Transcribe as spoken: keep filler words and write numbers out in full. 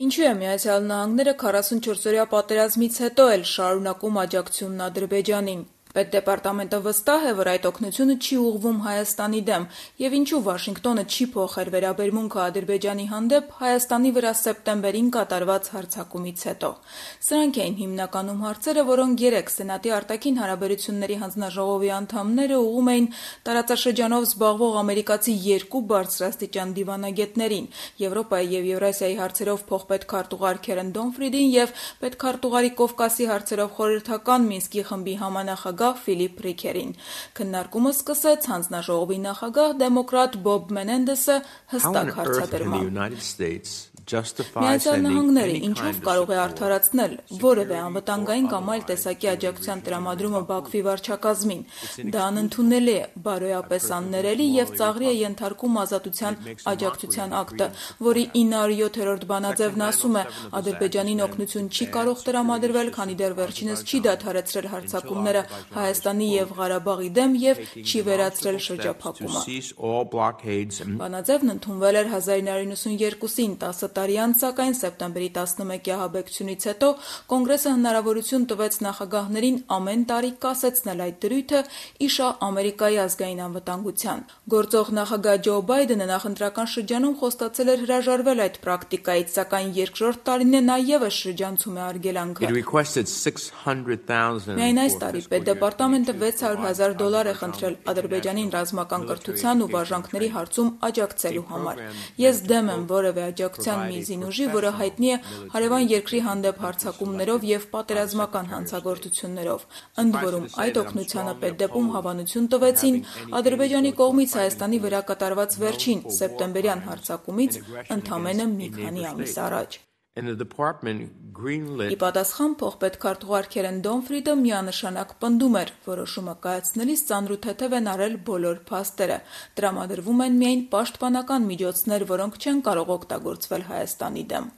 Ինչու է Միացյալ Նահանգները քառասունչորսօրյա պատերազմից հետո էլ շարունակում աջակցությունն Ադրբեջանին։ Պետդեպարտամենտը վստահ է, որ այդ օգնությունը չի ուղղվում Հայաստանի դեմ, եւ ինչու Վաշինգտոնը չի փոխել վերաբերմունքը Ադրբեջանի հանդեպ Հայաստանի վրա սեպտեմբերին կատարված հարձակումից հետո։ Սրանք էին հիմնականում հարցերը, որոնք երեկ Սենատի արտաքին հարաբերությունների հանձնաժողովի անդամները ուղղում էին տարածաշրջանով զբաղվող ամերիկացի երկու բարձրաստիճան դիվանագետներին՝ Եվրոպայի եւ Եվրասիայի հարցերով փոխպետքարտուղար Քերեն Դոնֆրիդին եւ պետքարտուղարի Կովկասի հարցերով խորհրդական Մինսկի խմբի համանախագահ Ֆիլիպ Ռիքերին։ Քննարկումը սկսեց հանձնաժողովի նախագահ դեմոկրատ Բոբ Մենենդեսը հստակ հարցադրմամբ։ Միացյալ Նահանգները ինչով կարող է արդարացնել որևէ անվտանգային կամ այլ տեսակի աջակցության տրամադրումը Բաքվի վարչակազմին։ Դա անընդունելի է, բարոյապես աններելի եւ ծաղրի է ենթարկում ազատության աջակցության ակտը, որի ինը հարյուր յոթերորդ բանաձևն ասում է՝ Ադրբեջանին օգնություն չի կարող տրամադրվել, քանի դեռ վերջինս չի դադարեցրել հարձակումները Հայաստանի եւ Ղարաբաղի դեմ եւ չի վերացրել շրջափակումը։ Բանաձևն ընդունվել էր հազար ինը հարյուր նվաթ տասը տարի անց, սակայն սեպտեմբերի տասնմեկի ահաբեկչությունից հետո Կոնգրեսը հնարավորություն տվեց նախագահներին ամեն տարի կասեցնել այդ դրույթը՝ իշա Ամերիկայի ազգային անվտանգության։ Գործող նախագահ Ջո Բայդենը նախընտրական շրջանում խոստացել էր հրաժարվել այդ պրակտիկայից, սակայն երկրորդ տարին է նա ևս շրջանցում է արգելանքը։ Միայն այս տարի Պետդեպարտամենտը վեց հարյուր հազար դոլար է խնդրել Ադրբեջանին ռազմական կրթության ու վարժանքների հարցում աջակցելու համար։ Ես դեմ եմ որևէ աջակցության մի զինուժի, որը հայտնի է հարևան երկրի հանդեպ հարձակումներով եւ պատերազմական հանցագործություններով։ Ընդ որում, այդ օգնությանը Պետդեպում հավանություն տվեցին Ադրբեջանի կողմից Հայաստանի վրա կատարված վերջին սեպտեմբերյան հարձակումից ընդամենը մի քանի ամիս առաջ։ Ի պատասխան փոխպետքարտուղար Քերեն Դոնֆրիդը միանշանակ պնդում էր՝ որոշումը կայացնելիս ծանրութեթև են արել բոլոր փաստերը։ Տրամադրվում են միայն պաշտպանական միջոցներ, որոնք չեն կարող օգտագործվել Հայաստանի դեմ։